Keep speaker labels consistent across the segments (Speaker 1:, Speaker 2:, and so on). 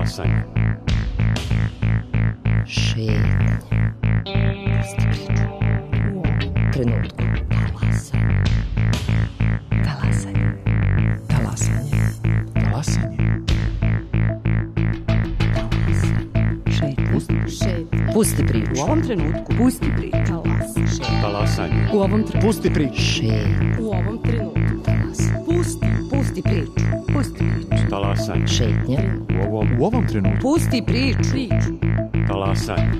Speaker 1: Talasanje.
Speaker 2: Šetanje. Pusti priču. U ovom trenutku. Talasanje. Talasanje.
Speaker 3: Talasanje.
Speaker 2: Pusti priču.
Speaker 4: U ovom trenutku. Pusti priču.
Speaker 1: Talasanje.
Speaker 4: U ovom trenutku.
Speaker 3: Pusti priču.
Speaker 4: U ovom trenutku. Pusti priču. Pusti priču.
Speaker 1: Talasanje.
Speaker 2: Šetnja.
Speaker 3: U ovom trenutku.
Speaker 4: Pusti priču.
Speaker 1: Talasanje.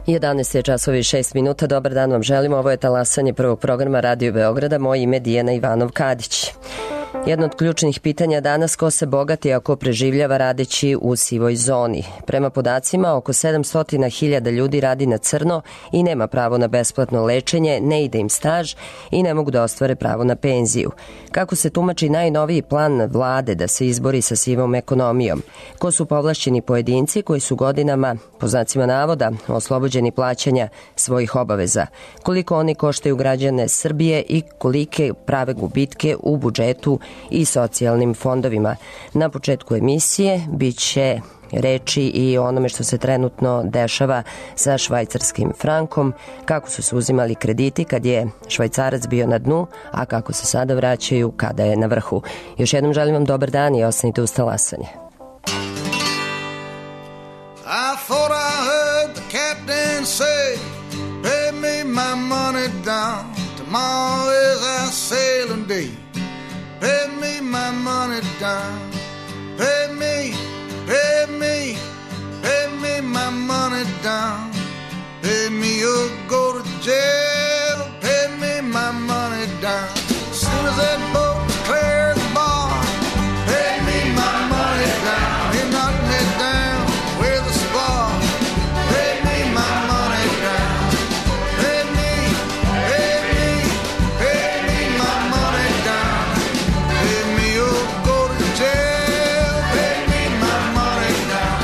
Speaker 2: Jedanaest je časovi 6 minuta. Dobar dan vam želimo. Ovo je Talasanje prvog programa Radio Beograda. Moje ime je Dijana Ivanov-Kadić. Jedno od ključnih pitanja danas: ko se bogati, a ko preživljava radeći u sivoj zoni. Prema podacima, oko 700.000 ljudi radi na crno i nema pravo na besplatno lečenje, ne ide im staž i ne mogu da ostvare pravo na penziju. Kako se tumači najnoviji plan vlade da se izbori sa sivom ekonomijom? Ko su povlašćeni pojedinci koji su godinama, po znacima navoda, oslobođeni plaćanja svojih obaveza? Koliko oni koštaju građane Srbije i kolike prave gubitke u budžetu i socijalnim fondovima? Na početku emisije bit će reči i o onome što se trenutno dešava sa švajcarskim frankom, kako su se uzimali krediti kad je švajcarac bio na dnu, a kako se sada vraćaju kada je na vrhu. Još jednom želim vam dobar dan i ostanite uz Talasanje.
Speaker 5: I thought I heard the captain say, pay me my money down, tomorrow is our sailing day. Pay me my money down, pay me my money down. Pay me or go to jail, pay me my money down. As soon as that boat clears the bar, pay me my money down. He knocked me down with a spar, pay me my money down. Pay me my money down. Pay me or go to jail, pay me my money down.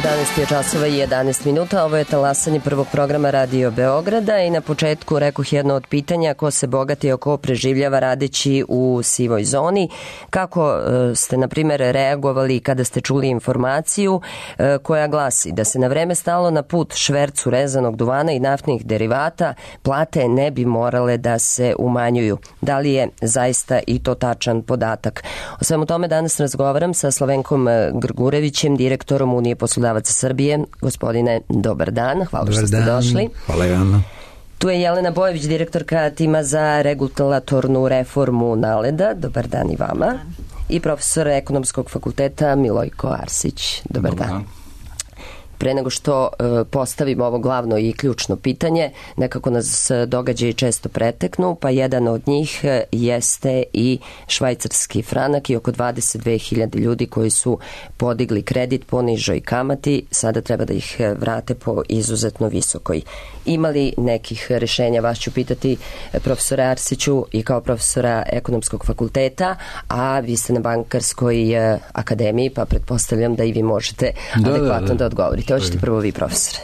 Speaker 2: 11 je časova i 11 minuta. Ovo je talasanje prvog programa Radio Beograda i na početku rekoh jedno od pitanja: ko se bogati, a ko preživljava radeći u sivoj zoni. Kako ste, na primjer, reagovali kada ste čuli informaciju koja glasi da se na vreme stalo na put švercu rezanog duvana i naftnih derivata, plate ne bi morale da se umanjuju? Da li je zaista i to tačan podatak? O svemu tome danas razgovaram sa Slavenkom Grgurevićem, direktorom Unije poslodavaca Srbije. Gospodine, dobar dan. Hvala što ste došli.
Speaker 6: Hvala Jana.
Speaker 2: Tu je Jelena Bojević, direktorka tima za regulatornu reformu NALED-a. Dobar dan i vama. I profesor ekonomskog fakulteta Milojko Arsić. Dobar dan. Pre nego što postavimo ovo glavno i ključno pitanje, nekako nas događaji često preteknu, pa jedan od njih jeste i švajcarski franak i oko 22.000 ljudi koji su podigli kredit po nižoj kamati, sada treba da ih vrate po izuzetno visokoj. Ima li nekih rešenja? Vas ću pitati, profesora Arsiću, i kao profesora ekonomskog fakulteta, a vi ste na Bankarskoj akademiji, pa pretpostavljam da i vi možete adekvatno da odgovorite. Hoćete prvo vi, profesore?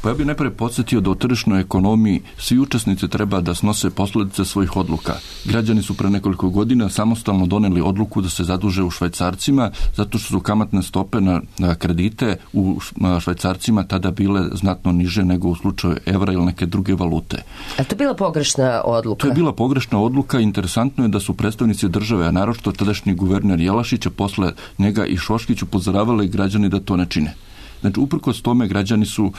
Speaker 6: Pa ja bih najprije podsjetio da u tržišnoj ekonomiji svi učesnici treba da snose posledice svojih odluka. Građani su pre nekoliko godina samostalno doneli odluku da se zaduže u švajcarcima, zato što su kamatne stope na kredite u švajcarcima tada bile znatno niže nego u slučaju evra ili neke druge valute.
Speaker 2: A to je bila pogrešna odluka? To
Speaker 6: je bila pogrešna odluka. Interesantno je da su predstavnici države, a naročito tadašnji guverner Jelašić, a posle njega i Šoškić, upozoravali građani da to ne čine. Znači, uprkos tome građani su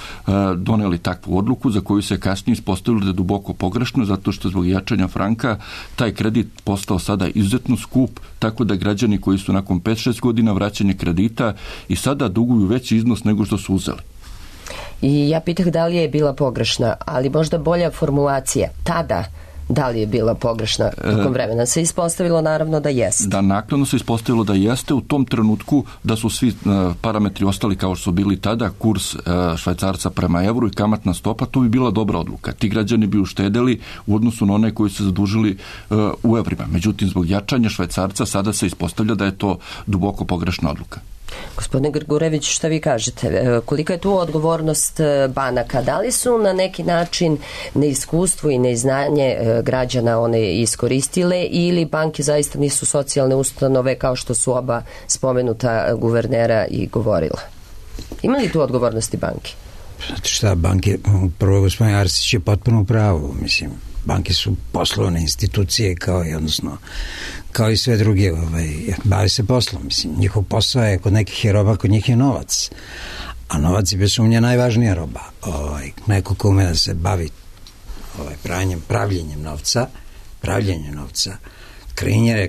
Speaker 6: doneli takvu odluku za koju se kasnije ispostavilo da je duboko pogrešno, zato što zbog jačanja franka taj kredit postao sada izuzetno skup, tako da građani koji su nakon 5-6 godina vraćanja kredita i sada duguju veći iznos nego što su uzeli.
Speaker 2: I ja pitah da li je bila pogrešna, ali možda bolja formulacija tada. Da li je bila pogrešna tokom vremena? Se ispostavilo naravno da jeste.
Speaker 6: Da, naknadno se ispostavilo da jeste u tom trenutku, da su svi parametri ostali kao što su bili tada, kurs švajcarca prema evru i kamatna stopa, to bi bila dobra odluka. Ti građani bi uštedeli u odnosu na one koji su se zadužili u evrima. Međutim, zbog jačanja švajcarca sada se ispostavlja da je to duboko pogrešna odluka.
Speaker 2: Gospodine Grgurević, šta vi kažete? Kolika je tu odgovornost banaka? Da li su na neki način neiskustvo i neznanje građana one iskoristile ili banke zaista nisu socijalne ustanove kao što su oba spomenuta guvernera i govorila? Ima li tu odgovornosti banke?
Speaker 7: Znate šta, banke, prvo gospodin Arsić je potpuno u pravu, mislim. Banke su poslovne institucije kao i sve druge, bave se poslom, mislim, njihov posao je kod nekih je roba, kod njih je novac, a novac je bez sumnje najvažnija roba. Neko ko ume da se bavi pravljenjem novca,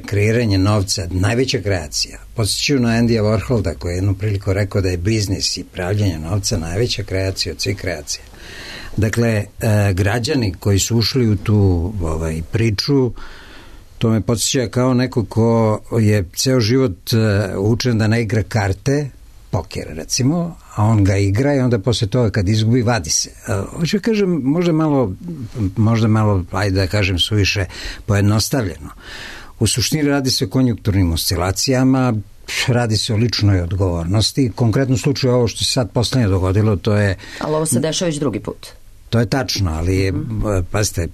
Speaker 7: kreiranje novca, najveća kreacija. Podsjećaju na Andyja Warholda koji je jednu priliku rekao da je biznis i pravljenje novca najveća kreacija od svih kreacija. Dakle, građani koji su ušli u tu priču, to me podsjeća kao neko ko je ceo život učen da ne igra karte, poker recimo, a on ga igra i onda posle toga kad izgubi vadi se. Hoću da kažem, možda malo, ajde da kažem suviše pojednostavljeno. U suštini radi se o konjunkturnim oscilacijama, radi se o ličnoj odgovornosti. Konkretno slučaju ovo što se sad poslednje dogodilo, to je...
Speaker 2: Ali ovo se dešava već drugi put.
Speaker 7: To je tačno, ali pazite,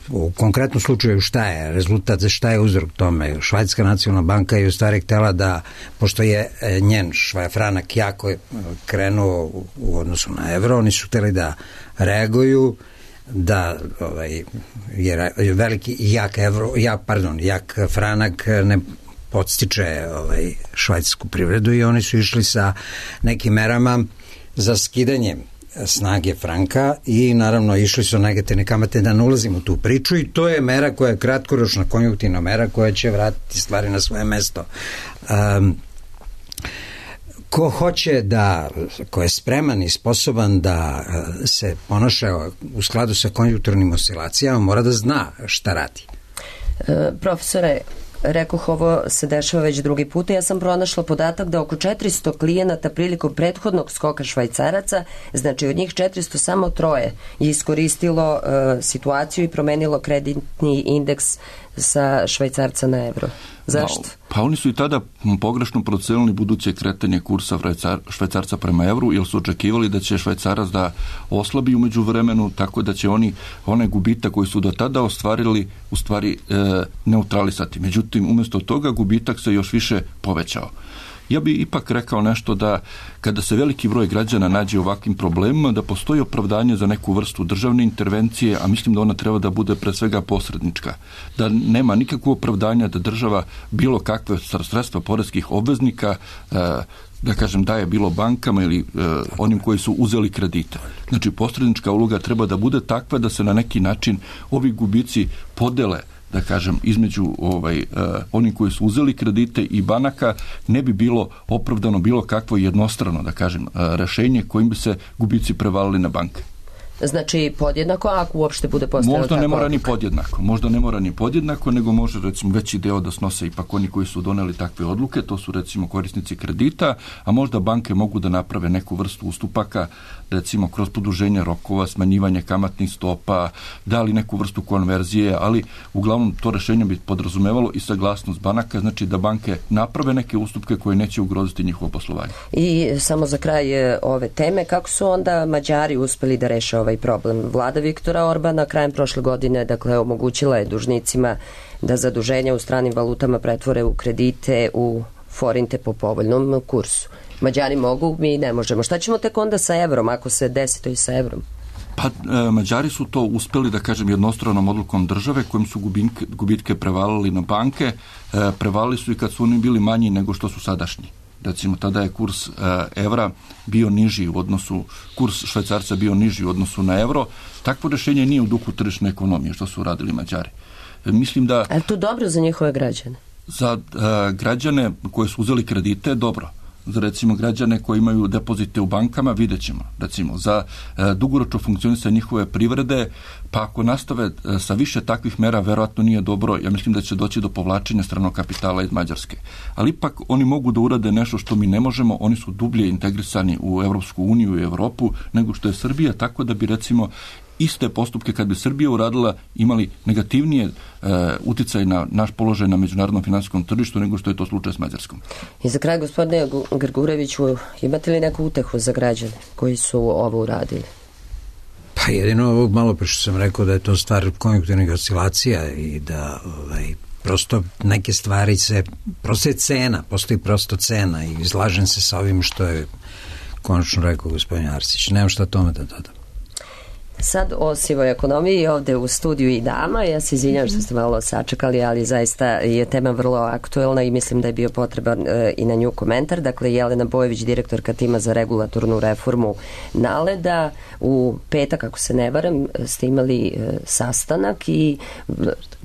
Speaker 7: u konkretnom slučaju šta je rezultat, šta je uzrok tome? Švajcarska nacionalna banka je u stvari htjela da, pošto je njen franak jako krenuo u odnosu na evro, oni su htjeli da reaguju, da je veliki jak franak ne podstiče švajcarsku privredu i oni su išli sa nekim merama za skidanje snage franka i naravno išli su negativne kamate, da ne ulazim u tu priču, i to je mera koja je kratkoročna konjunktivna mera koja će vratiti stvari na svoje mesto. Ko je spreman i sposoban da se ponaša u skladu sa konjunkturnim oscilacijama mora da zna šta radi.
Speaker 2: Profesore, rekoh, ovo se dešava već drugi put. Ja sam pronašla podatak da oko 400 klijenata prilikom prethodnog skoka švajcaraca, znači od njih 400 samo 3 je iskoristilo situaciju i promenilo kreditni indeks sa švajcarca na evro. Zašto?
Speaker 6: Pa oni su i tada pogrešno procenili buduće kretanje kursa švajcarca prema evru, jer su očekivali da će švajcarac da oslabi u međuvremenu, tako da će oni one gubitak koji su do tada ostvarili u stvari neutralisati. Međutim, umjesto toga gubitak se još više povećao. Ja bih ipak rekao nešto da kada se veliki broj građana nađe u ovakvim problemima, da postoji opravdanje za neku vrstu državne intervencije, a mislim da ona treba da bude pre svega posrednička. Da nema nikakvog opravdanja da država bilo kakve sredstva poreskih obveznika da kažem daje bilo bankama ili onim koji su uzeli kredite. Znači posrednička uloga treba da bude takva da se na neki način ovi gubici podele, da kažem, između oni koji su uzeli kredite i banaka, ne bi bilo opravdano bilo kakvo jednostrano, da kažem, rešenje kojim bi se gubici prevalili na banke.
Speaker 2: Znači podjednako, ako uopšte bude postojala
Speaker 6: možda ne mora ni podjednako. Možda ne mora ni podjednako, nego može recimo veći deo da snose ipak oni koji su doneli takve odluke, to su recimo korisnici kredita, a možda banke mogu da naprave neku vrstu ustupaka, recimo kroz produženje rokova, smanjivanje kamatnih stopa, dali neku vrstu konverzije, ali uglavnom to rešenje bi podrazumevalo i saglasnost banaka, znači da banke naprave neke ustupke koje neće ugroziti njihovo poslovanje.
Speaker 2: I samo za kraj ove teme, kako su onda Mađari uspeli da reše ovaj problem? Vlada Viktora Orbana krajem prošle godine, dakle, omogućila je dužnicima da zaduženja u stranim valutama pretvore u kredite, u forinte po povoljnom kursu. Mađari mogu, mi ne možemo. Šta ćemo tek onda sa evrom, ako se desi to i sa evrom?
Speaker 6: Pa Mađari su to uspeli, da kažem, jednostranom odlukom države kojim su gubitke prevalili na banke. Prevalili su i kad su oni bili manji nego što su sadašnji. Recimo, tada je kurs evra bio niži u odnosu, kurs švajcarca bio niži u odnosu na evro. Takvo rešenje nije u duhu tržišne ekonomije što su radili Mađari. Mislim da...
Speaker 2: Ali to dobro za njihove građane?
Speaker 6: Za građane koji su uzeli kredite, dobro. Za recimo građane koji imaju depozite u bankama, vidjet ćemo. Recimo, za dugoročno funkcionisanje njihove privrede, pa ako nastave sa više takvih mera, verovatno nije dobro. Ja mislim da će doći do povlačenja stranog kapitala iz Mađarske. Ali ipak oni mogu da urade nešto što mi ne možemo. Oni su dublje integrisani u Evropsku uniju i Evropu nego što je Srbija, tako da bi recimo iste postupke kad bi Srbija uradila imali negativnije uticaj na naš položaj na međunarodnom finansijskom tržištu nego što je to slučaj s Mađarskom.
Speaker 2: I za kraj, gospodine Grgureviću, imate li neku utehu za građane koji su ovo uradili?
Speaker 7: Pa jedino ovog malo pre što sam rekao da je to stvar konjunkturnih oscilacija i da prosto neke stvari prosto je cena, postoji prosto cena i izlažem se sa ovim što je konačno rekao gospodin Arsić. Nemam šta tome da dodam.
Speaker 2: Sad o sivoj ekonomiji ovde u studiju i dama. Ja se izvinjam što ste malo sačekali, ali zaista je tema vrlo aktuelna i mislim da je bio potreban i na nju komentar. Dakle, Jelena Bojević, direktorka tima za regulatornu reformu NALED-a, u petak, ako se ne varam, ste imali sastanak i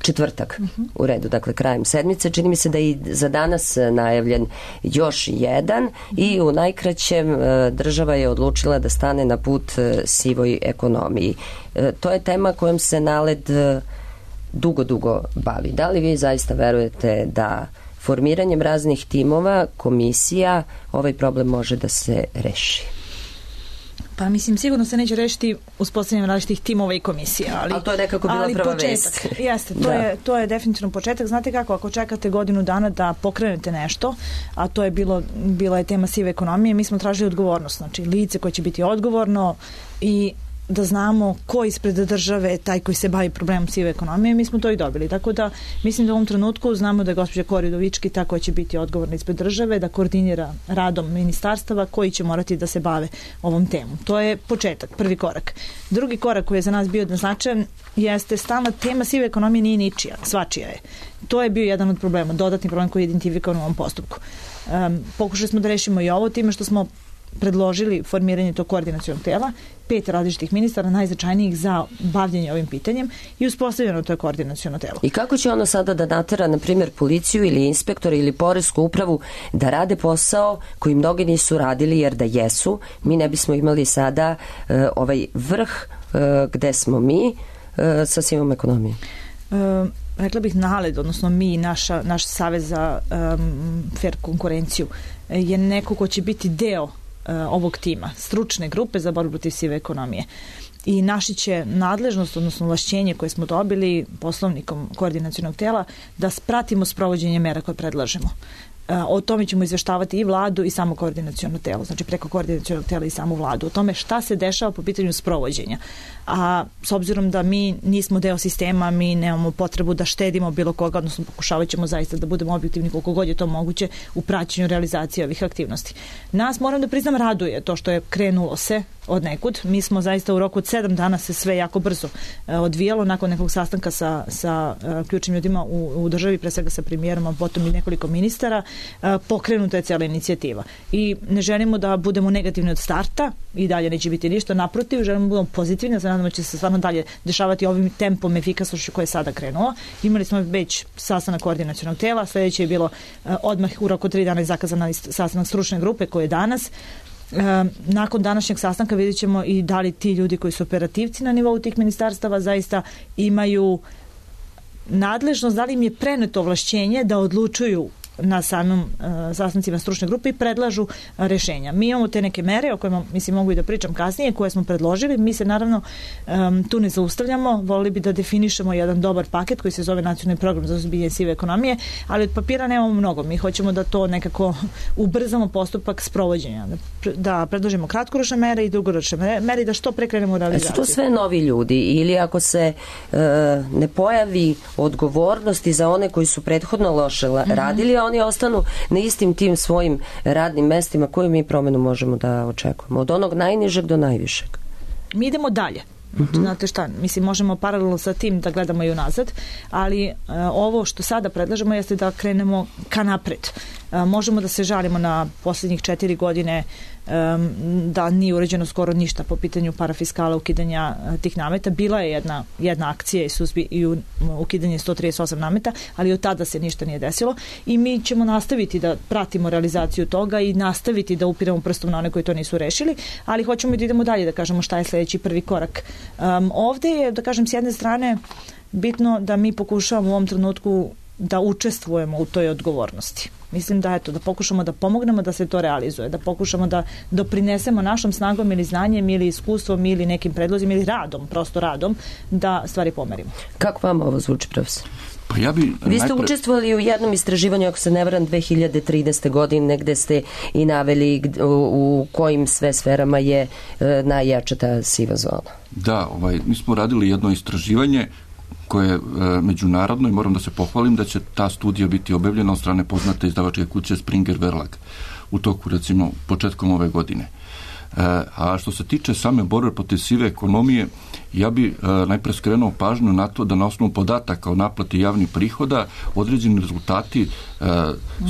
Speaker 2: četvrtak u redu, dakle krajem sedmice. Čini mi se da i za danas najavljen još jedan i u najkraćem država je odlučila da stane na put sivoj ekonomiji. To je tema kojom se NALED dugo bavi. Da li vi zaista verujete da formiranjem raznih timova, komisija, ovaj problem može da se reši?
Speaker 8: Pa mislim, sigurno se neće rešiti uspostavljanjem različitih timova i komisija. Ali
Speaker 2: to je nekako bila prva vest.
Speaker 8: Jeste, to je definitivno početak. Znate kako, ako čekate godinu dana da pokrenete nešto, a to je bila je tema sive ekonomije, mi smo tražili odgovornost. Znači, lice koje će biti odgovorno i da znamo ko ispred države taj koji se bavi problemom sive ekonomije, mi smo to i dobili. Tako da mislim da u ovom trenutku znamo da je gospođa Kori Udovički ta koja će biti odgovorna ispred države, da koordinira radom ministarstava koji će morati da se bave ovom temom. To je početak, prvi korak. Drugi korak koji je za nas bio značajan jeste stalna tema sive ekonomije nije ničija, svačija je. To je bio jedan od problema, dodatni problem koji je identifikovan u ovom postupku. Pokušali smo da rešimo i ovo time što smo predložili formiranje tog koordinacionog tela, 5 različitih ministara, najznačajnijih za bavljenje ovim pitanjem i uspostavljeno to je koordinaciono telo.
Speaker 2: I kako će ono sada da natera, na primjer, policiju ili inspektora ili poresku upravu da rade posao koji mnogi nisu radili, jer da jesu, mi ne bismo imali sada ovaj vrh gde smo mi sa sivom ekonomijom?
Speaker 8: Rekla bih NALED, odnosno mi, naš savez za fair konkurenciju, je neko ko će biti deo ovog tima, stručne grupe za borbu protiv sive ekonomije. i naši će nadležnost, odnosno ovlašćenje koje smo dobili poslovnikom koordinacionog tela, da pratimo sprovođenje mera koje predlažemo. O tome ćemo izveštavati i vladu i samo koordinaciono telo, znači preko koordinacionog tela i samu vladu, o tome šta se dešava po pitanju sprovođenja. A s obzirom da mi nismo deo sistema, mi nemamo potrebu da štedimo bilo koga, odnosno pokušavat ćemo zaista da budemo objektivni koliko god je to moguće u praćenju realizacije ovih aktivnosti. Nas, moram da priznam, raduje to što je krenulo se od nekud. Mi smo zaista u roku od 7 dana se sve jako brzo odvijalo nakon nekog sastanka sa ključnim ljudima u državi, pre svega sa premijerom, a potom i nekoliko ministara, pokrenuta je cijela inicijativa. I ne želimo da budemo negativni od starta i dalje neće biti ništa, naprotiv, želimo da budemo pozitivni, da nadamo da će se stvarno dalje dešavati ovim tempom efikasnošću koje je sada krenulo. Imali smo već sastanak koordinacionog tela, sledeće je bilo odmah u roku 3 dana zakazan sastanak stručne grupe koji je danas. Nakon današnjeg sastanka vidjet ćemo i da li ti ljudi koji su operativci na nivou tih ministarstava zaista imaju nadležnost, da li im je preneto ovlašćenje da odlučuju na samim sastancima stručne grupe i predlažu rešenja. Mi imamo te neke mere o kojima, mislim, mogu i da pričam kasnije, koje smo predložili. Mi se naravno tu ne zaustavljamo, volili bi da definišemo jedan dobar paket koji se zove Nacionalni program za suzbijanje sive ekonomije, ali od papira nemamo mnogo. Mi hoćemo da to nekako ubrzamo postupak sprovođenja, da predložimo kratkoročne mere i dugoročne mere i da što pre krenemo u realizaciju.
Speaker 2: Su to sve novi ljudi ili ako se ne pojavi odgovornosti za one koji su prethodno loše radili, a oni ostanu na istim tim svojim radnim mestima, koju mi promenu možemo da očekujemo? Od onog najnižeg do najvišeg.
Speaker 8: Mi idemo dalje. Znate šta, mislim, možemo paralelno sa tim da gledamo i unazad, ali ovo što sada predlažemo jeste da krenemo ka napred. Možemo da se žalimo na posljednjih 4 godine da nije uređeno skoro ništa po pitanju parafiskala, ukidanja tih nameta. Bila je jedna akcija i ukidanje 138 nameta, ali od tada se ništa nije desilo i mi ćemo nastaviti da pratimo realizaciju toga i nastaviti da upiramo prstom na one koji to nisu rešili, ali hoćemo i da idemo dalje, da kažemo šta je sledeći prvi korak. Ovde je, da kažem, s jedne strane bitno da mi pokušavamo u ovom trenutku da učestvujemo u toj odgovornosti. Mislim da da pokušamo da pomognemo da se to realizuje, da pokušamo da doprinesemo našom snagom ili znanjem ili iskustvom ili nekim predlozima ili radom, prosto radom, da stvari pomerimo.
Speaker 2: Kako vam ovo zvuči, profesor?
Speaker 6: Pa
Speaker 2: Vi ste učestvovali u jednom istraživanju, ako se ne varam, 2013. godine, gde ste i naveli u kojim sve sferama je najjača ta siva zona.
Speaker 6: Da, mi smo radili jedno istraživanje koje je međunarodno i moram da se pohvalim da će ta studija biti objavljena od strane poznate izdavačke kuće Springer Verlag u toku, recimo, početkom ove godine. A što se tiče same borbe protiv sive ekonomije, ja bi najpre skrenuo pažnju na to da na osnovu podataka o naplati javnih prihoda određeni rezultati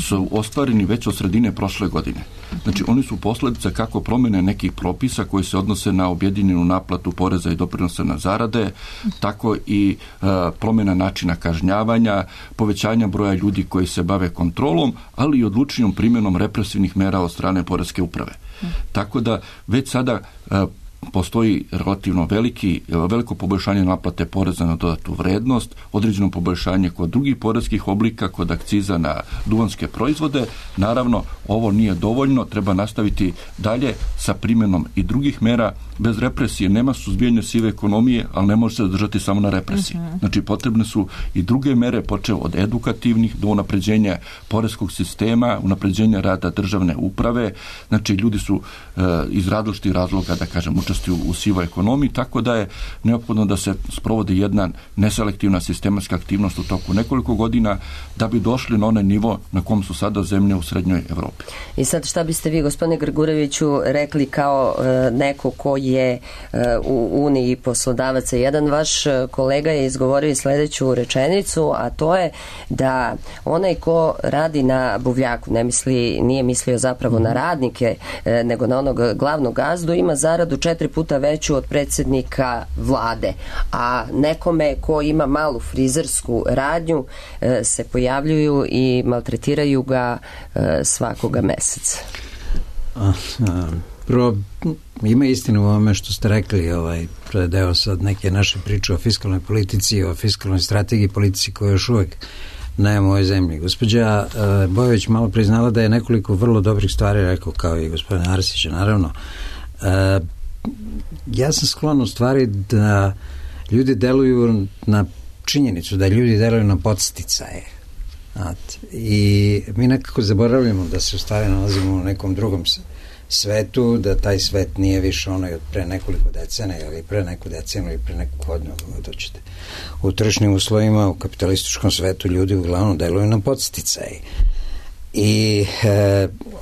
Speaker 6: su ostvareni već od sredine prošle godine. Znači, oni su posledica kako promene nekih propisa koji se odnose na objedinjenu naplatu poreza i doprinosa na zarade, tako i promjena načina kažnjavanja, povećanja broja ljudi koji se bave kontrolom, ali i odlučnijom primjenom represivnih mera od strane poreske uprave. Tako da već sada postoji relativno veliko poboljšanje naplate poreza na dodatu vrednost, određeno poboljšanje kod drugih poreskih oblika, kod akciza na duvanske proizvode. Naravno, ovo nije dovoljno, treba nastaviti dalje sa primjenom i drugih mera. Bez represije nema suzbijanja sive ekonomije, ali ne može se zadržati samo na represiji. Znači, potrebne su i druge mere, počev od edukativnih do unapređenja poreskog sistema, unapređenja rada državne uprave. Znači, ljudi su iz različitih razloga, da kažem, učestvuju u sivoj ekonomiji, tako da je neophodno da se sprovodi jedna neselektivna sistematska aktivnost u toku nekoliko godina da bi došli na onaj nivo na kom su sada zemlje u srednjoj Evropi.
Speaker 2: I sad šta biste vi, gospodine Grgureviću, rekli kao neko ko je u Uniji poslodavaca? Jedan vaš kolega je izgovorio sledeću rečenicu, a to je da onaj ko radi na buvljaku, nije mislio zapravo na radnike, nego na onog glavnog gazdu, ima zaradu 4 puta veću od predsjednika vlade, a nekome ko ima malu frizersku radnju se pojavljuju i maltretiraju ga svakoga meseca.
Speaker 7: Prvo, ima istinu u ovome što ste rekli, to je deo sad neke naše priče o fiskalnoj politici, o fiskalnoj strategiji politici koja još uvek nema u ovoj zemlji. Gospođa Bojović malo priznala da je nekoliko vrlo dobrih stvari rekao, kao i gospodina Arsića, naravno. ja sam sklon u stvari da ljudi deluju na činjenicu, da ljudi deluju na podsticaje. I mi nekako zaboravljamo da se u stvari nalazimo u nekom drugom svetu, da taj svet nije više onaj od pre nekoliko decenija ili pre neku deceniju ili pre neku godinu, doćete. U tržišnim uslovima u kapitalističkom svetu ljudi uglavnom deluju na podsticaje. I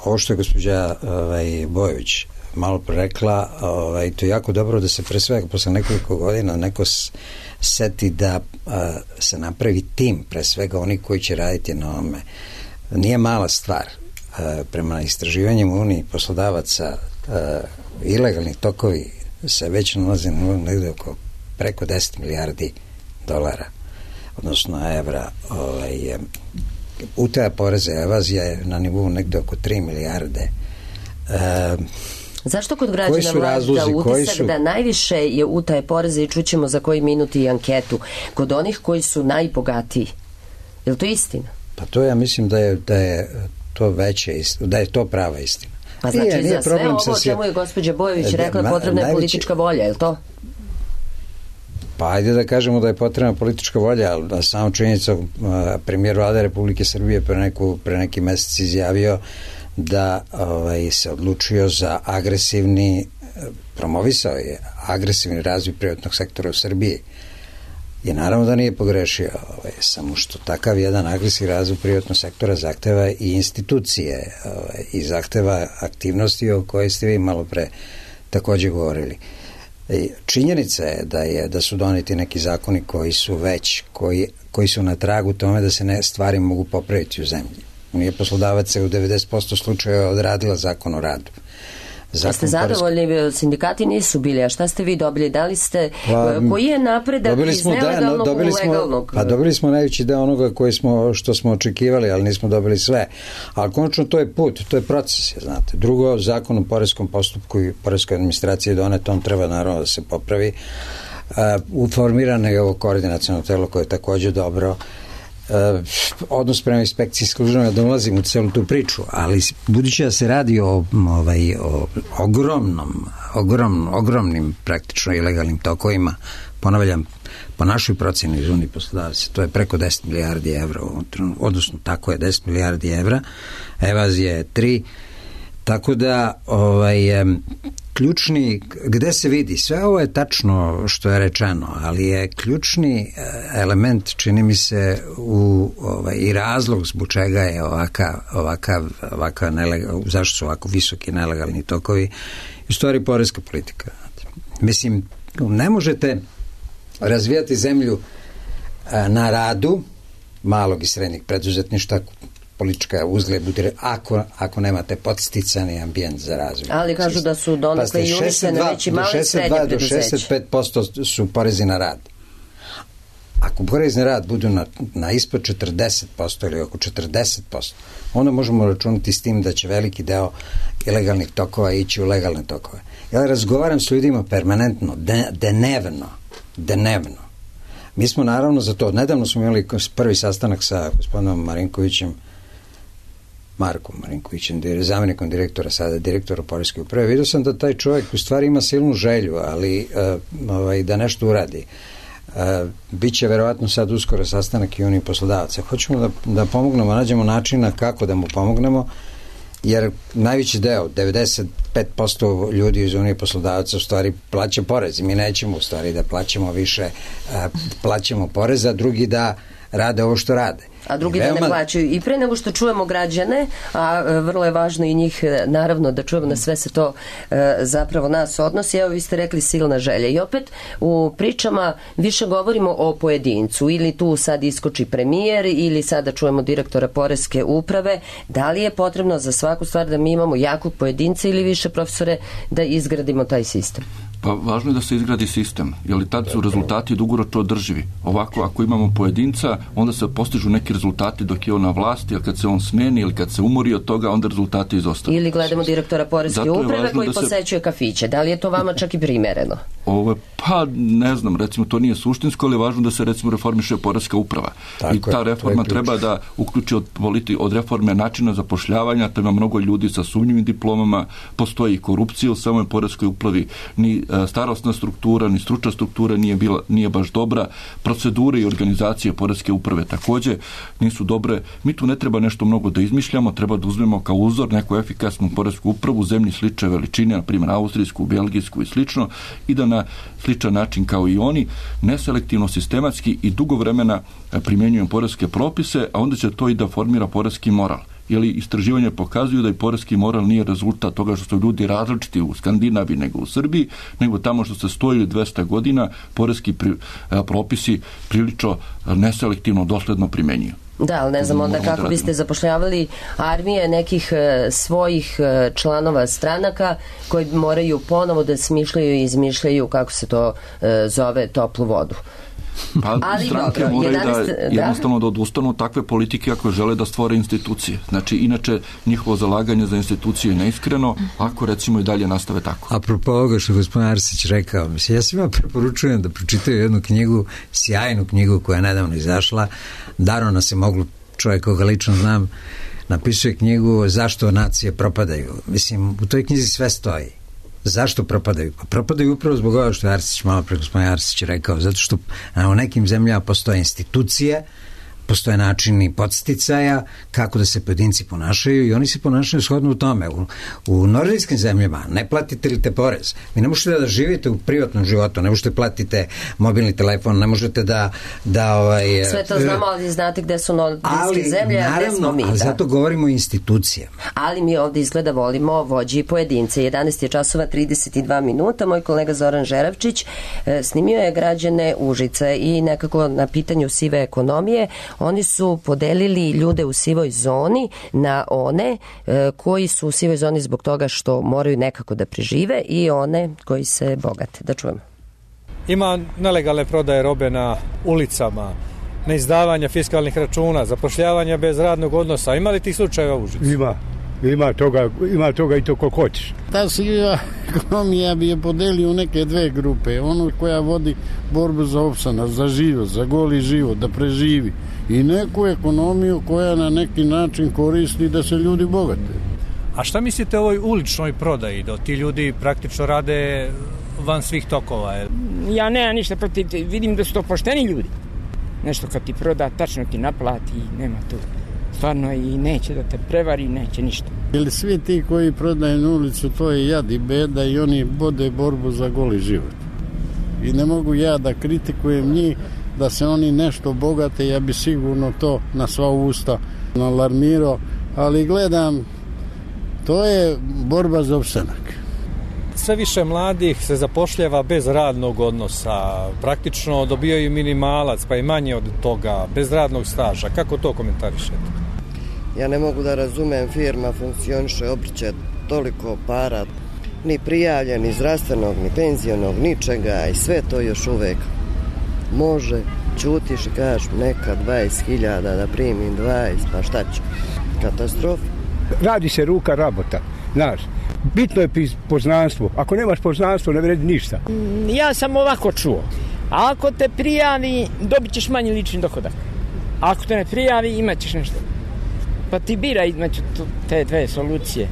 Speaker 7: ovo što je gospođa Bojović malo rekla, to je jako dobro da se pre svega posle nekoliko godina neko seti da se napravi tim, pre svega oni koji će raditi na ovome. Nije mala stvar. Prema istraživanjima Uniji poslodavaca ilegalni tokovi se već nalaze negde oko preko 10 milijardi dolara, odnosno evra. Utaja poreza, evazija je na nivou negde oko 3 milijarde.
Speaker 2: Zašto kod građana mlađa utisak da najviše je utaje poreza i čućemo za koji minut i anketu kod onih koji su najbogatiji? Je li to istina?
Speaker 7: Pa to ja mislim da je to veće, da je to prava istina.
Speaker 2: Pa znači za sve ovo o čemu je gospođa Bojović rekla potrebna je politička volja, je li to?
Speaker 7: Pa ajde da kažemo da je potrebna politička volja, ali samo činjenica, premijer Vlade Republike Srbije pre neki mesec izjavio da se odlučio za promovisao je agresivni razvoj privatnog sektora u Srbiji. I naravno da nije pogrešio, samo što takav jedan agresivni razvoj privatnog sektora zahteva i institucije i zahteva aktivnosti o kojoj ste vi malo pre takođe govorili. Činjenica je da su doneti neki zakoni koji su koji su na tragu tome da se stvari mogu popraviti u zemlji. Nije poslodavac u 90% slučajeva odradila zakon o radu.
Speaker 2: A ste zadovoljni, sindikati nisu bili, a šta ste vi dobili? Da li ste, koji je napredak iz nelegalnog u legalnog?
Speaker 7: Pa dobili smo najveći deo onoga što smo očekivali, ali nismo dobili sve. Ali konačno to je put, to je proces, znate. Drugo, zakon o poreskom postupku i poreskoj administraciji je donet, on treba naravno da se popravi. Formirano je ovo koordinaciono telo koje je takođe dobro. Odnos prema inspekcijskim službama, da ulazim u celu tu priču, ali budući da se radi o ogromnim praktično ilegalnim tokovima, ponavljam, po našoj proceni iz Unije poslodavaca, to je preko 10 milijardi evra, odnosno tako je 10 milijardi evra, evazija je 3, tako da ključni, gde se vidi, sve ovo je tačno što je rečeno, ali je ključni element, čini mi se, i razlog zbog čega je zašto su ovako visoki nelegalni tokovi, u stvari poreska politika. Mislim, ne možete razvijati zemlju na radu malog i srednjeg preduzetništva, politička uzgled bude ako nemate podsticani ambijent za razvoj.
Speaker 2: Ali kažu da su donekle i uništene već i male i srednje preduzeće.
Speaker 7: Do 65% su porezi na rad. Ako porezi na rad budu na ispod 40% ili oko 40%, onda možemo računati s tim da će veliki deo ilegalnih tokova ići u legalne tokove. Ja razgovaram s ljudima permanentno, dnevno. Mi smo naravno za to, nedavno smo imali prvi sastanak sa gospodinom Markom Marinkovićem, zamjenikom direktora, sada direktora poreske uprave. Vidio sam da taj čovjek u stvari ima silnu želju, ali da nešto uradi. Biće verovatno sad uskoro sastanak i Unije poslodavaca. Hoćemo da pomognemo, nađemo načina kako da mu pomognemo, jer najveći deo, 95% ljudi iz Unije poslodavaca u stvari plaća porez. Mi nećemo u stvari da plaćamo više, plaćamo porez, a drugi da rade ovo što rade.
Speaker 2: A drugi da ne plaćaju. I pre nego što čujemo građane, a vrlo je važno i njih naravno da čujemo, na sve se to zapravo nas odnosi. Evo, vi ste rekli silna želja. I opet u pričama više govorimo o pojedincu. Ili tu sad iskoči premijer, ili sada čujemo direktora poreske uprave. Da li je potrebno za svaku stvar da mi imamo jakog pojedinca ili više, profesore, da izgradimo taj sistem?
Speaker 6: Pa važno je da se izgradi sistem, jer tad su rezultati dugoročno održivi. Ovako, ako imamo pojedinca, onda se postižu neki rezultati dok je on na vlasti, a kad se on smeni ili kad se umori od toga, onda rezultati izostaju.
Speaker 2: Ili gledamo direktora poreske uprave koji posećuje kafiće. Da li je to vama čak i primereno?
Speaker 6: Ovo je Pa ne znam, recimo to nije suštinsko, ali je važno da se recimo reformiše poreska uprava. I ta reforma treba da uključi od reforme načina zapošljavanja, treba mnogo ljudi sa sumnjivim diplomama, postoji i korupcija u samoj poreskoj upravi, ni starosna struktura, ni stručna struktura nije baš dobra, procedure i organizacije poreske uprave takođe nisu dobre. Mi tu ne treba nešto mnogo da izmišljamo, treba da uzmemo kao uzor neku efikasnu poresku upravu u zemlji slične veličine, na primjer austrijsku, belgijsku i slično, i da na sličan način kao i oni, neselektivno, sistematski i dugo vremena primjenjujem poreske propise, a onda će to i da formira poreski moral. Jer istraživanja pokazuju da i poreski moral nije rezultat toga što su ljudi različiti u Skandinaviji nego u Srbiji, nego tamo što se 100 ili 200 godina poreski propisi prilično neselektivno dosledno primjenjuju.
Speaker 2: Da, ali ne znam onda kako biste zapošljavali armije nekih svojih članova stranaka koji moraju ponovo da smišljaju i izmišljaju, kako se to zove, toplu vodu.
Speaker 6: Pa ali stranke dobro, moraju jednostavno da odustanu takve politike ako žele da stvore institucije. Znači, inače, njihovo zalaganje za institucije je neiskreno, ako recimo i dalje nastave tako.
Speaker 7: Apropo ovoga što gospodin Arsić rekao, mislim, ja svima preporučujem da pročitaju jednu knjigu, sjajnu knjigu koja je nedavno izašla, Darona se moglo, čovjek koga lično znam, napisuje knjigu Zašto nacije propadaju. Mislim, u toj knjizi sve stoji. Zašto propadaju? Pa propadaju upravo zbog ovoga što je Arsić, malo pre gospodin Arsić rekao, zato što u nekim zemljama postoje institucije, postoje načini podsticaja kako da se pojedinci ponašaju i oni se ponašaju shodno u tome. U nordijskim zemljama ne platite li te porez. Vi ne možete da živite u privatnom životu, ne možete platite mobilni telefon, ne možete da
Speaker 2: sve to znamo, ali znate gde su nordijske zemlje, a gde smo mi.
Speaker 7: Ali zato govorimo o institucijama.
Speaker 2: Ali mi ovdje izgleda volimo vođi i pojedince. 11 je časova 32 minuta. Moj kolega Zoran Žeravčić snimio je građane Užice i nekako na pitanju sive ekonomije oni su podelili ljude u sivoj zoni na one koji su u sivoj zoni zbog toga što moraju nekako da prežive i one koji se bogate. Da čujemo.
Speaker 9: Ima nelegalne prodaje robe na ulicama, neizdavanja fiskalnih računa, zapošljavanja bez radnog odnosa. Ima li tih slučajeva u Užicu?
Speaker 10: Ima toga i to koliko hoćeš.
Speaker 11: Ta siva ekonomija bi je podelio u neke dve grupe. Ono koja vodi borbu za opstanak, za život, za goli život, da preživi. I neku ekonomiju koja na neki način koristi da se ljudi bogate.
Speaker 9: A šta mislite o ovoj uličnoj prodaji, da ti ljudi praktično rade van svih tokova?
Speaker 12: Ja nemam ništa protiv, vidim da su to pošteni ljudi. Nešto kad ti proda, tačno ti naplati, nema tu stvarno i neće da te prevari, neće ništa.
Speaker 11: Jer svi ti koji prodaju na ulicu, to je jad i beda i oni vode borbu za goli život. I ne mogu ja da kritikujem njih, da se oni nešto bogate, ja bi sigurno to na sva usta alarmirao, ali gledam, to je borba za opstanak.
Speaker 9: Sve više mladih se zapošljava bez radnog odnosa, praktično dobijaju minimalac, pa i manje od toga, bez radnog staža. Kako to komentarišete?
Speaker 13: Ja ne mogu da razumem, firma funkcioniše, obrće toliko para, ni prijavljen, ni zdravstvenog, ni penzionog, ničega i sve to još uvek može, ćutiš i kažeš neka 20.000 da primim 20, pa šta ću? Katastrofa.
Speaker 10: Radi se ruka rabota, znaš. Bitno je poznanstvo. Ako nemaš poznanstvo, ne vredi ništa.
Speaker 12: Ja sam ovako čuo. Ako te prijavi, dobit ćeš manji lični dohodak. Ako te ne prijavi, imat ćeš nešto. Pa ti bira između te dve solucije.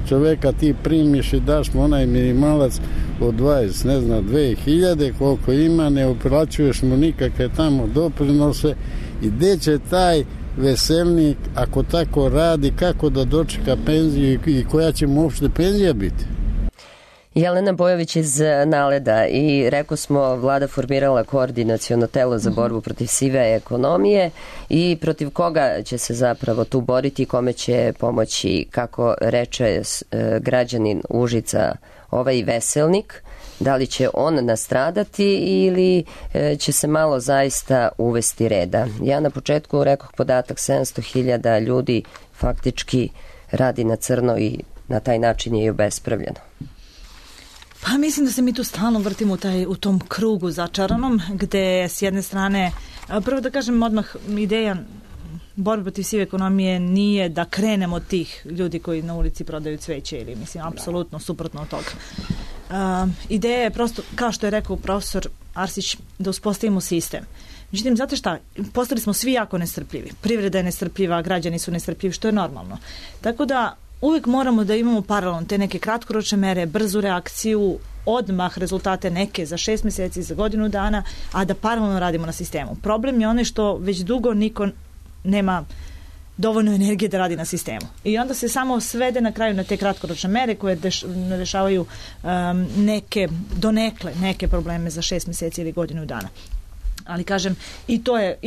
Speaker 11: Čoveka ti primiš i daš mu onaj minimalac od 20, ne znam, 2000, koliko ima, ne uplaćuješ mu nikakve tamo doprinose i gde će taj veselnik, ako tako radi, kako da dočeka penziju i koja će mu uopšte penzija biti?
Speaker 2: Jelena Bojović iz Naleda i rekao smo, vlada formirala koordinaciono telo za borbu protiv sive ekonomije i protiv koga će se zapravo tu boriti, kome će pomoći, kako reče građanin Užica, ovaj veselnik, da li će on nastradati ili će se malo zaista uvesti reda. Ja na početku rekoh podatak 700.000 ljudi faktički radi na crno i na taj način je i obespravljeno.
Speaker 8: Pa mislim da se mi tu stalno vrtimo u tom krugu začaranom, gde s jedne strane, prvo da kažem odmah, ideja borbe protiv sive ekonomije nije da krenemo od tih ljudi koji na ulici prodaju cveće ili, mislim, apsolutno suprotno od toga. Ideja je prosto, kao što je rekao profesor Arsić, da uspostavimo sistem. Međutim, znate šta, postali smo svi jako nestrpljivi. Privreda je nestrpljiva, građani su nestrpljivi, što je normalno. Tako da uvijek moramo da imamo paralelno te neke kratkoročne mere, brzu reakciju, odmah rezultate neke za 6 mjeseci, za godinu dana, a da paralelno radimo na sistemu. Problem je onaj što već dugo niko nema dovoljno energije da radi na sistemu. I onda se samo svede na kraju na te kratkoročne mere koje rešavaju neke probleme za 6 mjeseci ili godinu dana. Ali kažem, i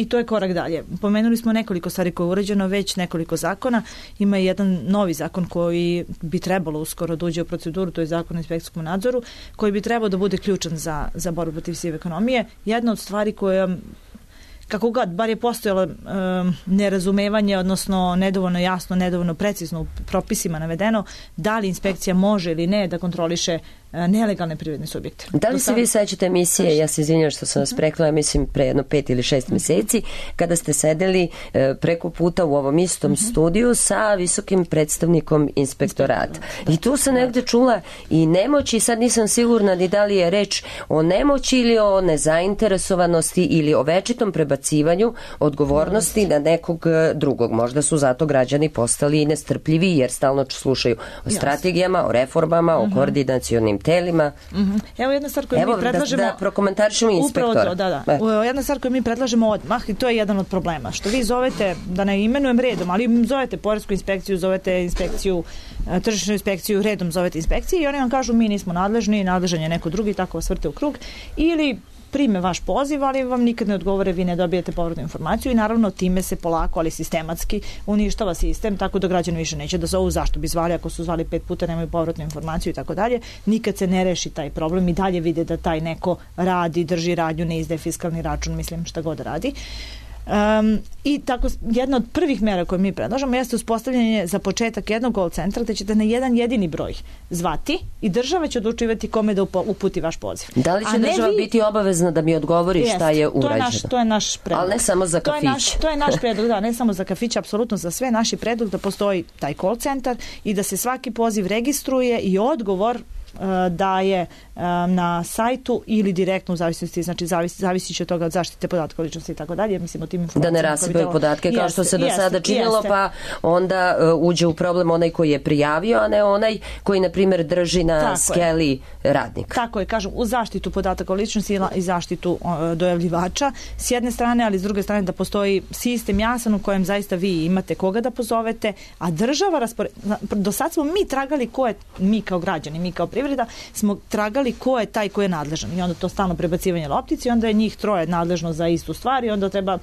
Speaker 8: to je korak dalje. Pomenuli smo nekoliko stvari koje je urađeno, već nekoliko zakona. Ima jedan novi zakon koji bi trebalo uskoro da uđe u proceduru, to je zakon o inspekcijskom nadzoru, koji bi trebao da bude ključan za borbu protiv sive ekonomije. Jedna od stvari koja, kako god, bar je postojalo nerazumevanje, odnosno nedovoljno jasno, nedovoljno precizno u propisima navedeno, da li inspekcija može ili ne da kontroliše nelegalne privredne subjekte.
Speaker 2: Da li se vi sećate emisije, ja se izvinjam što sam vas prekla, mislim pre jedno 5 ili 6 mjeseci, kada ste sedeli preko puta u ovom istom studiju sa visokim predstavnikom inspektorata. I tu sam negde čula i nemoći, sad nisam sigurna ni da li je reč o nemoći ili o nezainteresovanosti ili o večitom prebacivanju odgovornosti na nekog drugog. Možda su zato građani postali nestrpljivi jer stalno slušaju o strategijama, o reformama, o koordinacionim telima.
Speaker 8: Evo jedna stvar koju mi predlažemo.
Speaker 2: Da prokomentarišemo inspektora.
Speaker 8: Jedna stvar koju mi predlažemo odmah, i to je jedan od problema. Što vi zovete, da ne imenujem redom, ali zovete poresku inspekciju, zovete inspekciju, tržišnu inspekciju, redom zovete inspekcije i oni vam kažu mi nismo nadležni, nadležan je neko drugi, tako vas vrte u krug. Ili prime vaš poziv, ali vam nikad ne odgovore, vi ne dobijete povratnu informaciju i naravno time se polako, ali sistematski uništava sistem, tako da građani više neće da zovu, zašto bi zvali, ako su zvali 5 puta nemaju povratnu informaciju i tako dalje. Nikad se ne reši taj problem i dalje vide da taj neko radi, drži radnju, ne izdaje fiskalni račun, mislim šta god radi. I tako jedna od prvih mera koje mi predlažemo jeste uspostavljanje za početak jednog call centra gde ćete na jedan jedini broj zvati i država će odlučivati kome da uputi vaš poziv.
Speaker 2: Da li će država biti obavezna da mi odgovori šta je urađeno?
Speaker 8: To je naš predlog.
Speaker 2: Ali ne samo za kafić.
Speaker 8: To je naš predlog, da, ne samo za kafić, apsolutno za sve. Naš je predlog da postoji taj call centar i da se svaki poziv registruje i odgovor daje na sajtu ili direktno u zavisnosti, znači zavisi će od toga od zaštite podatka o ličnosti i tako dalje, mislim o tim informacijama.
Speaker 2: Da ne rasipaju podatke kao što se do sada činilo, pa onda uđe u problem onaj koji je prijavio, a ne onaj koji, na primjer, drži na skeli radnik.
Speaker 8: Tako je, kažem, u zaštitu podataka o ličnosti i zaštitu dojavljivača s jedne strane, ali s druge strane da postoji sistem jasan u kojem zaista vi imate koga da pozovete, a država do sad smo mi tragali ko je, mi kao građani, mi kao privreda, smo tragali ko je taj ko je nadležan i onda to stalno prebacivanje loptici, onda je njih troje nadležno za istu stvar i onda treba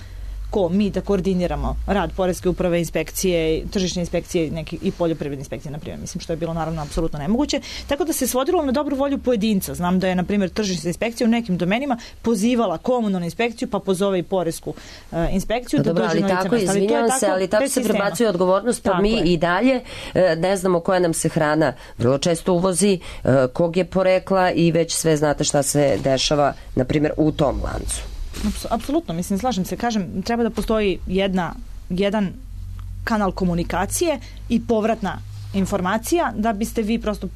Speaker 8: mi da koordiniramo rad poreske uprave, inspekcije, tržišne inspekcije i poljoprivredne inspekcije, na primjer. Mislim što je bilo naravno apsolutno nemoguće. Tako da se svodilo na dobru volju pojedinca. Znam da je, na primjer, tržišna inspekcija u nekim domenima pozivala komunalnu inspekciju, pa pozove i poresku inspekciju.
Speaker 2: Dobro, ali tako, izvinjavam se, ali tako se prebacuje odgovornost, pa mi i dalje ne znamo koja nam se hrana vrlo često uvozi, kog je porekla i već sve znate šta se dešava, na primjer, u tom lancu.
Speaker 8: Apsolutno, mislim, slažem se, kažem, treba da postoji jedan kanal komunikacije i povratna informacija da biste vi prosto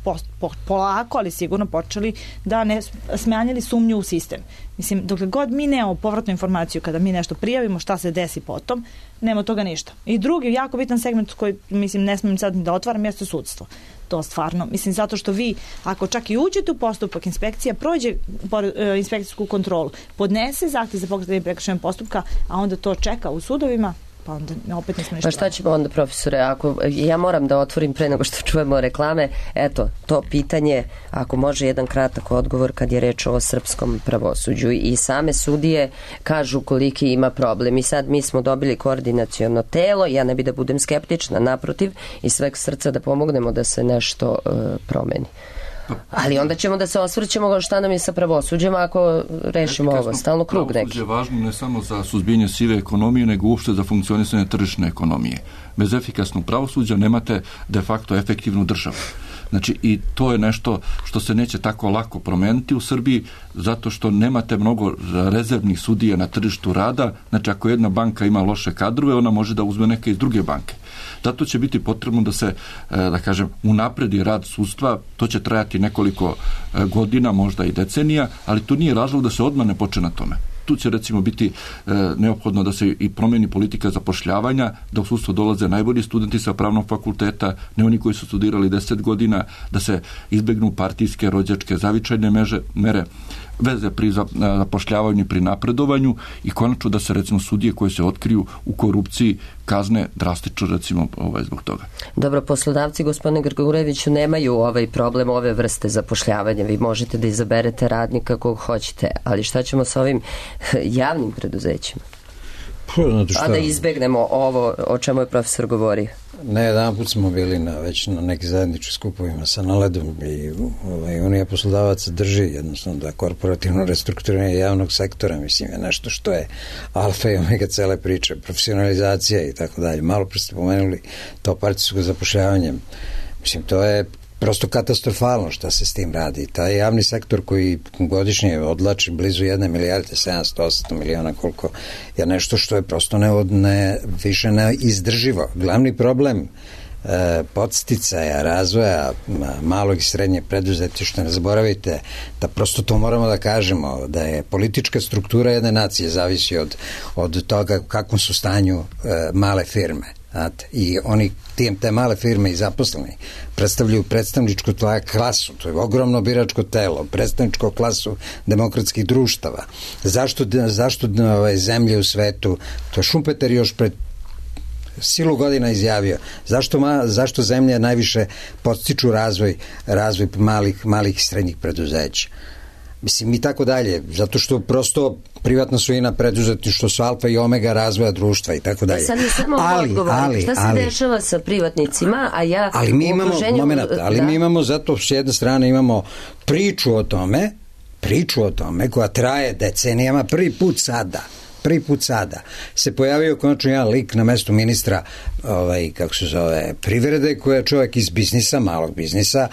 Speaker 8: polako, ali sigurno počeli da ne smanjili sumnju u sistem. Mislim, dokle god mi nemamo povratnu informaciju kada mi nešto prijavimo, šta se desi potom, nema toga ništa. I drugi jako bitan segment koji, mislim, ne smijem sad da otvaram, jeste sudstvo. To stvarno, mislim, zato što vi, ako čak i uđete u postupak, inspekcija prođe inspekcijsku kontrolu, podnese zahtev za pokretanje prekršajnog postupka, a onda to čeka u sudovima, pa onda opet nismo ništa.
Speaker 2: Pa šta ćemo onda, profesore, ako ja moram da otvorim pre nego što čujemo reklame, eto, to pitanje, ako može jedan kratak odgovor kad je reč o srpskom pravosuđu i same sudije kažu koliki ima problem i sad mi smo dobili koordinaciono telo, ja ne bi da budem skeptična, naprotiv, iz sveg srca da pomognemo da se nešto promeni. Ali onda ćemo da se osvrćemo šta nam je sa pravosuđem ako rešimo ovo, stalno krug neki.
Speaker 6: Pravosuđe je važno ne samo za suzbijanje sive ekonomije, nego uopšte za funkcionisanje tržišne ekonomije. Bez efikasnog pravosuđa nemate de facto efektivnu državu. Znači, i to je nešto što se neće tako lako promeniti u Srbiji, zato što nemate mnogo rezervnih sudija na tržištu rada. Znači, ako jedna banka ima loše kadrove, ona može da uzme neke iz druge banke. Zato će biti potrebno da se, da kažem, unapredi rad sudstva. To će trajati nekoliko godina, možda i decenija, ali to nije razlog da se odmah ne počne na tome. Tu će recimo biti neophodno da se i promeni politika zapošljavanja, da u sudstvo dolaze najbolji studenti sa pravnog fakulteta, ne oni koji su studirali 10 godina, da se izbegnu partijske, rođačke, zavičajne mere, veze pri zapošljavanju i pri napredovanju i konačno da se recimo sudije koje se otkriju u korupciji kazne drastično recimo zbog toga.
Speaker 2: Dobro, poslodavci, gospodine Grgureviću, nemaju ovaj problem ove vrste zapošljavanja. Vi možete da izaberete radnika kog hoćete, ali šta ćemo sa ovim javnim preduzećima? A da izbegnemo ovo o čemu je profesor govorio.
Speaker 7: Ne, jedan put smo bili već na nekim zajedničkim skupovima sa Naledom i Unija poslodavaca drži jednostavno da korporativno restrukturiranje javnog sektora, mislim, je nešto što je alfa i omega cele priče, profesionalizacija i tako dalje. Malo pre ste pomenuli to partijsko zapošljavanje. Mislim, to je prosto katastrofalno šta se s tim radi. Taj javni sektor koji godišnje odlači blizu 1 milijarde 700-800 miliona, koliko je nešto što je prosto više neizdrživo. Glavni problem podsticaja, razvoja malog i srednjeg preduzetništva, ne zaboravite da prosto to moramo da kažemo, da je politička struktura jedne nacije zavisi od toga u kakvom su stanju male firme. I oni te male firme i zaposleni predstavljaju predstavničku klasu, to je ogromno biračko telo, predstavničku klasu demokratskih društava. Zašto zemlje u svetu, to je Šumpeter još pred silu godina izjavio, zašto zemlje najviše podstiču razvoj malih i srednjih preduzeća? Mislim, i tako dalje, zato što prosto privatna svojina preduzetništvo su alfa i omega razvoja društva i tako dalje.
Speaker 2: Sad je samo odgovor. Šta se dešava sa privatnicima, a ja
Speaker 7: ali mi imamo zato s jedne strane imamo priču o tome koja traje decenijama, prvi put sada se pojavio konačno jedan lik na mestu ministra privrede, koji je čovjek iz biznisa, malog biznisa,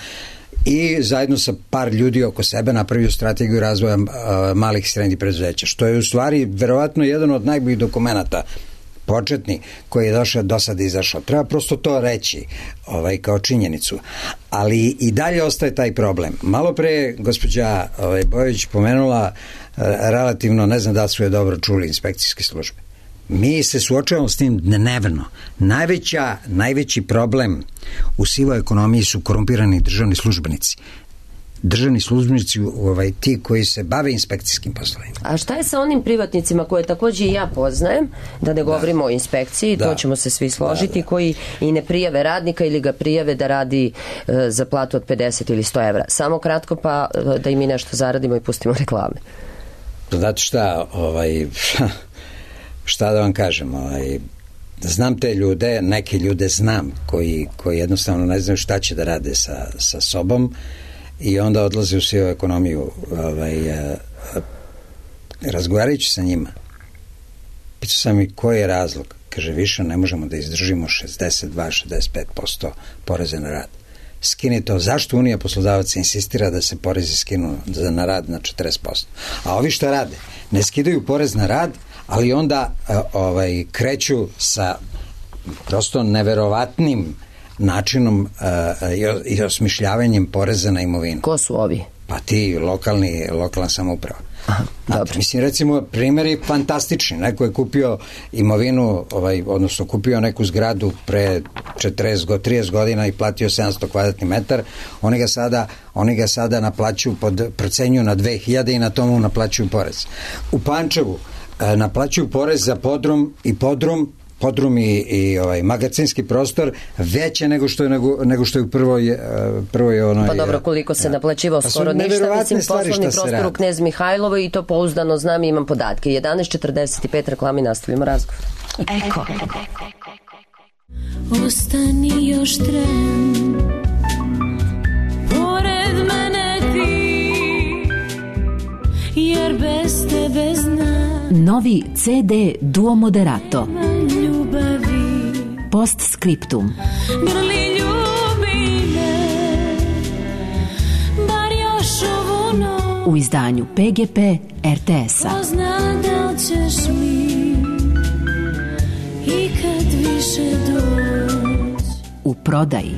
Speaker 7: i zajedno sa par ljudi oko sebe napravio strategiju razvoja malih i srednjih preduzeća, što je u stvari verovatno jedan od najboljih dokumenata početni koji je do sada izašao. Treba prosto to reći kao činjenicu. Ali i dalje ostaje taj problem. Malo pre je gospođa Bojović pomenula relativno, ne znam da su je dobro čuli, inspekcijske službe. Mi se suočavamo s tim dnevno. Najveći problem u sivoj ekonomiji su korumpirani državni službenici. Državni službenici ti koji se bave inspekcijskim poslovima.
Speaker 2: A šta je sa onim privatnicima koje također i ja poznajem, da ne govorimo o inspekciji, to ćemo se svi složiti, koji i ne prijave radnika ili ga prijave da radi za platu od 50 ili 100 evra. Samo kratko pa da i mi nešto zaradimo i pustimo reklame.
Speaker 7: Znate šta, šta da vam kažem, znam te ljude, neke ljude znam koji jednostavno ne znaju šta će da rade sa sobom i onda odlaze u sivu ekonomiju. Razgovarajući sa njima, pitao sam i koji je razlog. Kaže, više ne možemo da izdržimo 62-65% poreza na rad. Skini to. Zašto Unija poslodavaca insistira da se porezi skinu na rad na 40%? A ovi šta rade? Ne skidaju porez na rad, ali onda kreću sa prosto neverovatnim načinom i osmišljavanjem poreza na imovinu.
Speaker 2: Ko su ovi?
Speaker 7: Pa ti lokalna samouprava. Mislim, recimo, primjer je fantastični. Neko je kupio imovinu, odnosno kupio neku zgradu pre 30 godina i platio 700 kvadratni metar. Oni ga sada naplaćuju, procenjuju na 2000 i na tomu naplaćuju porez. U Pančevu naplaćuju porez za podrum i magacinski prostor veće nego što je u prvoj
Speaker 2: Pa dobro, koliko se naplaćivao skoro ništa, mislim, poslovni prostor u Knez Mihajlovo i to pouzdano znam i imam podatke. 11:45 reklami, nastavljamo razgovor.
Speaker 14: Eko. Ostani još tren, pored mene ti, jer bez tebe znam.
Speaker 15: Novi CD Duo Moderato. Post scriptum.
Speaker 14: Grli ljubi me,
Speaker 15: u izdanju PGP RTS-a.
Speaker 14: Ko zna da li ćeš mi ikad više doći.
Speaker 15: U prodaji.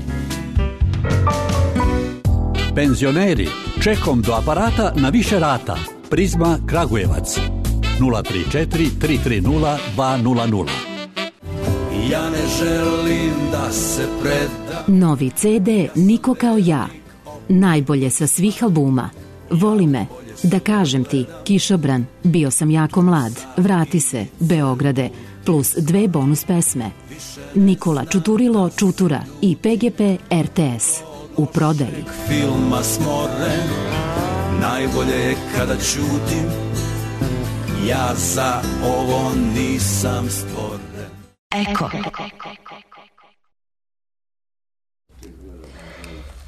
Speaker 16: Penzioneri, čekom do aparata na više rata. Prizma Kragujevac 034 330 200.
Speaker 17: Ja ne želim da se predam.
Speaker 15: Novi CD Niko kao ja. Najbolje sa svih albuma. Voli me, da kažem ti, Kišobran, bio sam jako mlad, vrati se, Beograde, plus 2 bonus pesme. Nikola Čuturilo Čutura i PGP RTS. U prodaji.
Speaker 17: Filma smoren, najbolje je kada ćutim. Ja za ovo nisam stvoren.
Speaker 15: Eko.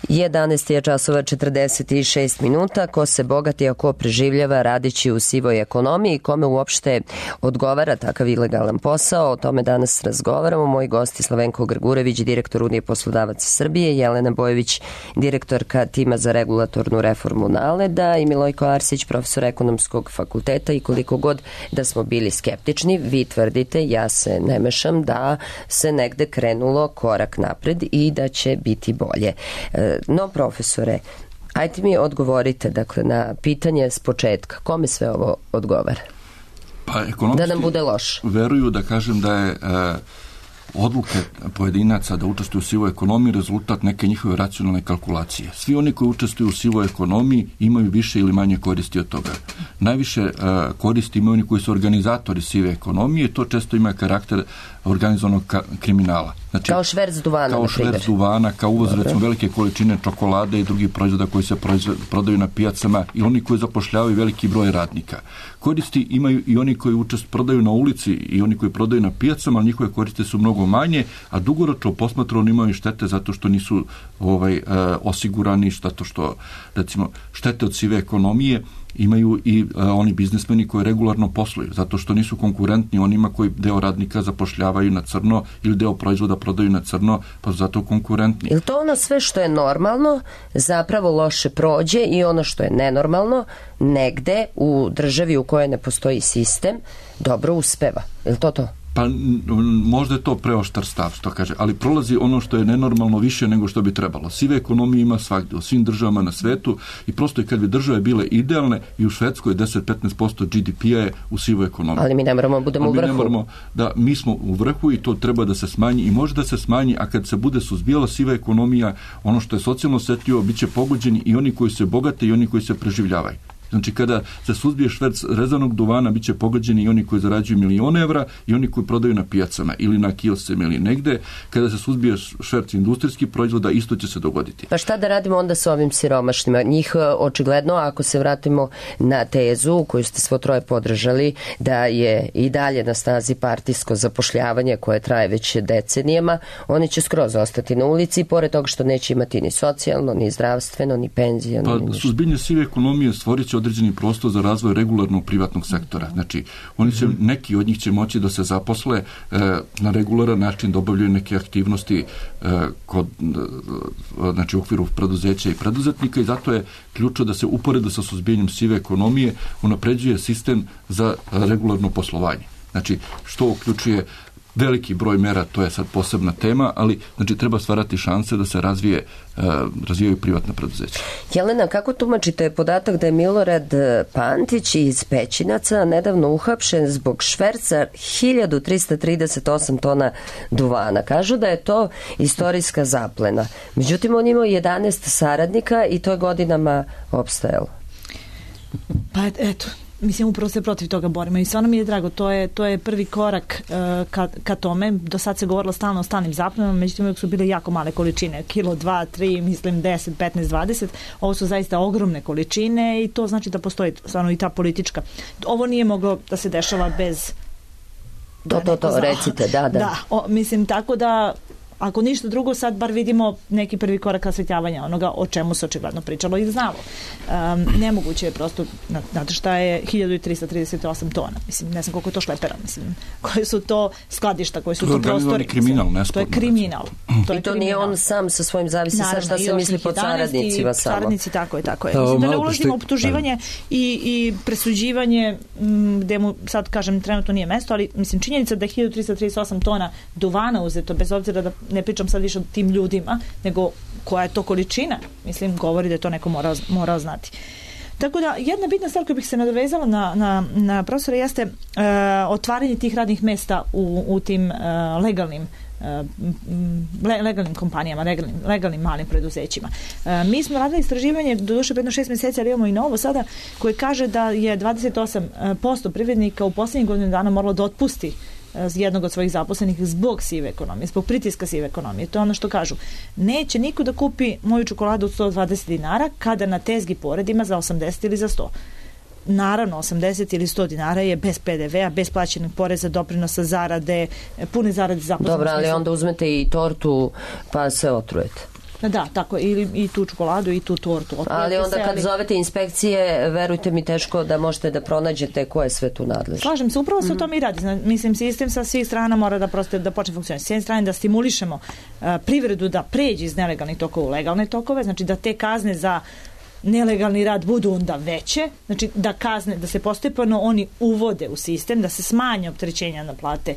Speaker 2: 11 je časova 46 minuta. Ko se bogati, a ko preživljava radeći u sivoj ekonomiji, kome uopšte odgovara takav ilegalan posao, o tome danas razgovaramo. Moji gosti Slavenko Grgurević, direktor Unije poslodavaca Srbije, Jelena Bojević, direktorka tima za regulatornu reformu NALED-a i Milojko Arsić, profesor ekonomskog fakulteta. I koliko god da smo bili skeptični, vi tvrdite, ja se ne mešam, da se negde krenulo korak napred i da će biti bolje. No, profesore, ajte mi odgovorite, dakle, na pitanje s početka. Kome sve ovo odgovara?
Speaker 6: Pa, ekonomisti
Speaker 2: da nam bude loš.
Speaker 6: Veruju, da kažem, da je odluke pojedinaca da učestvuju u sivoj ekonomiji rezultat neke njihove racionalne kalkulacije. Svi oni koji učestvuju u sivoj ekonomiji imaju više ili manje koristi od toga. Najviše koristi imaju oni koji su organizatori sive ekonomije i to često ima karakter organizovanog kriminala. Znači, kao
Speaker 2: šverc duvana,
Speaker 6: kao šverc duvana, kao uvoz recimo velike količine čokolade i drugih proizvoda koji se prodaju na pijacama i oni koji zapošljavaju veliki broj radnika. Koristi imaju i oni koji prodaju na ulici i oni koji prodaju na pijacama, ali njihove koristi su mnogo manje, a dugoročno posmatrano imaju štete zato što nisu osigurani, zato što recimo štete od sive ekonomije imaju i oni biznismeni koji regularno posluju, zato što nisu konkurentni onima koji deo radnika zapošljavaju na crno ili deo proizvoda prodaju na crno, pa su zato konkurentni.
Speaker 2: Je to ono sve što je normalno zapravo loše prođe i ono što je nenormalno negde u državi u kojoj ne postoji sistem dobro uspeva? Je li to?
Speaker 6: Pa možda je to preoštar stav, što kaže, ali prolazi ono što je nenormalno više nego što bi trebalo. Sive ekonomije ima svakde, u svim državama na svetu i prosto i kad bi države bile idealne i u Švedskoj 10-15% GDP-a je u sivoj ekonomiji.
Speaker 2: Ali mi ne moramo budemo u vrhu.
Speaker 6: Mi ne moramo da mi smo u vrhu i to treba da se smanji i može da se smanji, a kad se bude suzbijala siva ekonomija, ono što je socijalno osjetljivo, bit će pogođeni i oni koji se bogate i oni koji se preživljavaju. Znači, kada se suzbije šverc rezanog duvana, bit će pogođeni i oni koji zarađuju milione evra i oni koji prodaju na pijacama ili na kioscima ili negde. Kada se suzbije šverc industrijskih proizvoda, isto će se dogoditi.
Speaker 2: Pa šta da radimo onda sa ovim siromašnima? Njih očigledno, ako se vratimo na tezu koju ste svo troje podržali, da je i dalje na snazi partijsko zapošljavanje koje traje već decenijama, oni će skroz ostati na ulici, pored toga što neće imati ni socijalno, ni zdravstveno, ni penzijano.
Speaker 6: Pa, suzbijanje sive ekonomije stvorit će određeni prostor za razvoj regularnog privatnog sektora. Znači, neki od njih će moći da se zaposle na regularan način, da obavljaju neke aktivnosti znači u okviru preduzeća i preduzetnika i zato je ključno da se uporedo sa suzbijanjem sive ekonomije unapređuje sistem za regularno poslovanje. Znači, što uključuje veliki broj mera, to je sad posebna tema, ali znači treba stvarati šanse da se razvijaju privatna preduzeća.
Speaker 2: Jelena, kako tumačite podatak da je Milorad Pantić iz Pećinaca nedavno uhapšen zbog šverca 1338 tona duvana? Kažu da je to istorijska zaplena. Međutim, on imao 11 saradnika i to je godinama opstajalo.
Speaker 8: Pa eto, mislim, upravo se protiv toga borimo i stvarno mi je drago, to je prvi korak ka tome. Do sad se govorilo stalno o stalnim zaplenama, međutim uvijek su bile jako male količine, kilo, 2, 3, mislim 10, 15, 20, ovo su zaista ogromne količine i to znači da postoji stvarno i ta politička. Ovo nije moglo da se dešava bez...
Speaker 2: To, recite, da.
Speaker 8: Mislim, tako da ako ništa drugo, sad bar vidimo neki prvi korak rasvetljavanja onoga o čemu se očigledno pričalo i znalo. Nemoguće je prosto, znate šta je 1338 tona, mislim, ne znam koliko je to šlepera, mislim, koje su to skladišta, koji su to prostori.
Speaker 6: Kriminal,
Speaker 8: to je kriminal.
Speaker 2: I to nije on sam sa svojim, zavisi sa šta se misli pod saradnicima samo.
Speaker 8: Saradnici, tako je. Mislim da ne ulazimo u optuživanje i presuđivanje, gde mu sad kažem trenutno nije mesto, ali mislim činjenica da je 1338 tona duvana uzeto, bez obzira da ne pričam sad više o tim ljudima, nego koja je to količina, mislim, govori da je to neko morao znati. Tako da, jedna bitna stvar koju bih se nadovezala na profesora jeste otvaranje tih radnih mesta u tim legalnim kompanijama, legalnim malim preduzećima. Mi smo radili istraživanje, doduše predno 6 mjeseci, ali imamo i novo sada, koje kaže da je 28% privrednika u posljednjih godinu dana moralo da otpusti jednog od svojih zaposlenih zbog sive ekonomije, zbog pritiska sive ekonomije. To je ono što kažu. Neće niko da kupi moju čokoladu od 120 dinara kada na tezgi poredima za 80 ili za 100. Naravno, 80 ili 100 dinara je bez PDV-a, bez plaćenih poreza, doprinosa, zarade, pune zarade zaposlenih.
Speaker 2: Dobro, ali onda uzmete i tortu pa se otrujete.
Speaker 8: Da, tako, ili i tu čokoladu i tu tortu.
Speaker 2: Ali onda kad zovete inspekcije, verujte mi, teško da možete da pronađete ko je sve tu nadležno.
Speaker 8: Slažem se, upravo se o tome i radi. Mislim, sistem sa svih strana mora da prosto da počne funkcionirati. S jedne strane da stimulišemo privredu da pređe iz nelegalnih tokova u legalne tokove, znači da te kazne za nelegalni rad budu onda veće, znači da kazne, da se postepeno oni uvode u sistem, da se smanje opterećenja na plate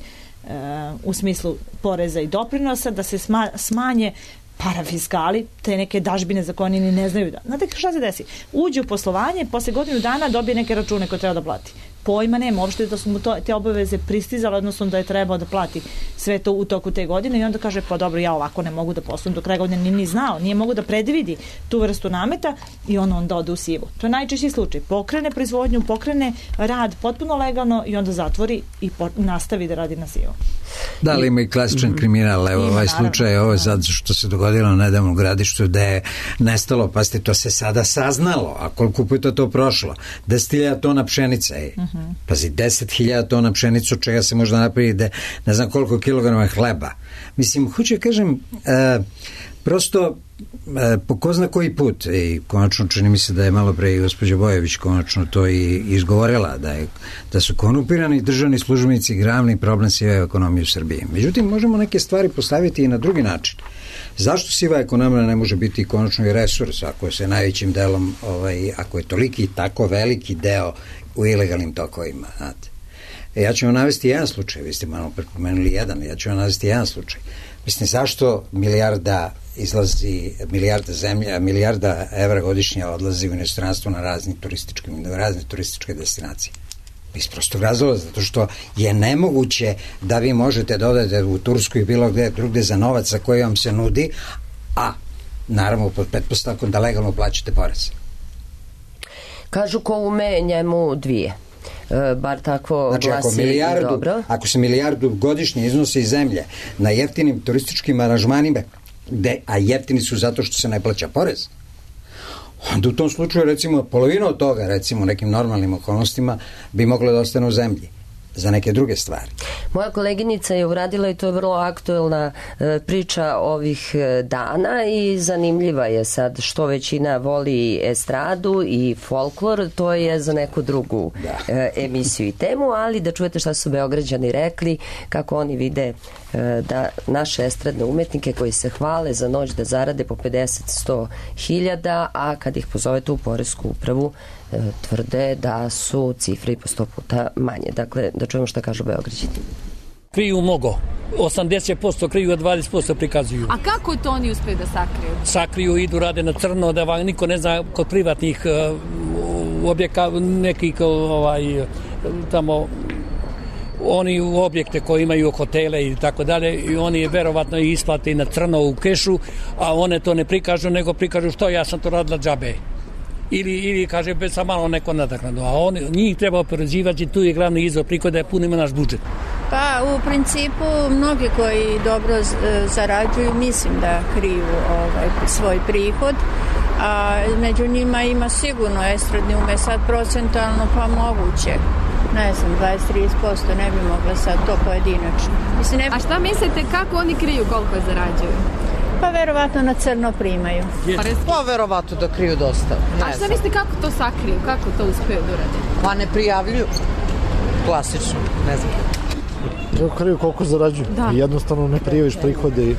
Speaker 8: u smislu poreza i doprinosa, da se smanje parafiskali, te neke dažbine za koje oni ni ne znaju da. Znate šta se desi? Uđe u poslovanje, posle godinu dana dobije neke račune koje treba da plati. Pojma nema, uopšte da su mu te obaveze pristizale, odnosno da je trebao da plati sve to u toku te godine i onda kaže, pa dobro, ja ovako ne mogu da poslujem do kraja godine, nije ni znao, nije mogu da predvidi tu vrstu nameta i on onda ode u sivu. To je najčešći slučaj. Pokrene proizvodnju, pokrene rad potpuno legalno i onda zatvori i nastavi da radi na sivu.
Speaker 7: Da, ali ima i klasičan kriminal, evo ovaj slučaj, ovo je sad što se dogodilo na nedavnom Gradištu, da je nestalo, pa ste to se sada saznalo, a koliko puta to prošlo, 10.000 tona pšenice, pazi, 10.000 tona pšenicu, od čega se možda napravi ne znam koliko kilograma hleba. Mislim, hoću kažem, prosto po ko zna koji put, i konačno čini mi se da je malo pre i gospođa Bojević konačno to i izgovorila, da su korumpirani državni službenici glavni problem sive ekonomije u Srbiji. Međutim, možemo neke stvari postaviti i na drugi način. Zašto siva ekonomija ne može biti konačno i resurs, ako se najvećim delom, ako je toliki tako veliki deo u ilegalnim tokovima, znate. Ja ću vam navesti jedan slučaj, vi ste malo prepomenuli jedan, ja ću vam navesti jedan slučaj. Mislim, zašto milijarda evra godišnje odlazi u inostranstvo na razne turističke destinacije? Iz prostog razloga, zato što je nemoguće da vi možete da odete u Tursku i bilo gde drugde za novac za koji vam se nudi, a naravno pod pretpostavkom da legalno plaćate porez.
Speaker 2: Kažu ko ume njemu dvije. Bar tako
Speaker 7: znači,
Speaker 2: glasi dobro.
Speaker 7: Ako se milijardu godišnje iznosi iz zemlje na jeftinim turističkim aranžmanima, a jeftini su zato što se ne plaća porez, onda u tom slučaju recimo polovina od toga, recimo u nekim normalnim okolnostima, bi moglo da ostane u zemlji za neke druge stvari.
Speaker 2: Moja koleginica je uradila i to je vrlo aktuelna priča ovih dana i zanimljiva je sad što većina voli estradu i folklor, to je za neku drugu emisiju i temu, ali da čujete šta su Beograđani rekli, kako oni vide da naše estradne umetnike koji se hvale za noć da zarade po 50-100 hiljada, a kad ih pozovete u poresku upravu tvrde da su cifre i po 100 puta manje. Dakle, da čujemo šta kažu Beograđani.
Speaker 18: Kriju mnogo. 80% kriju, a 20% prikazuju.
Speaker 4: A kako to oni uspeju da sakriju?
Speaker 18: Sakriju, idu, rade na crno, da vam niko ne zna kod privatnih objeka, nekih tamo oni u objekte koji imaju hotele i tako dalje i oni verovatno isplate na crno u kešu, a one to ne prikažu, nego prikažu što ja sam to radila džabe. Ili kaže sa malo neko nadoknadu, a njih treba oporezivati, tu je glavni izvor prihoda, je punimo naš budžet.
Speaker 19: Pa u principu mnogi koji dobro zarađuju mislim da kriju svoj prihod, a među njima ima sigurno estradni ume, sad procentualno pa moguće. ne znam, 20-30%, ne bi mogla sad to pojedinačno. Mislim,
Speaker 4: A šta mislite kako oni kriju koliko zarađuju?
Speaker 19: Pa verovatno na crno primaju.
Speaker 20: Pa verovatno da kriju dosta.
Speaker 4: A šta mislite kako to sakriju? Kako to uspeju da urade?
Speaker 20: Pa ne prijavljuju. Klasično, ne znam.
Speaker 21: Kako kriju koliko zarađuju?
Speaker 4: Da.
Speaker 21: Jednostavno ne prijaviš prihode.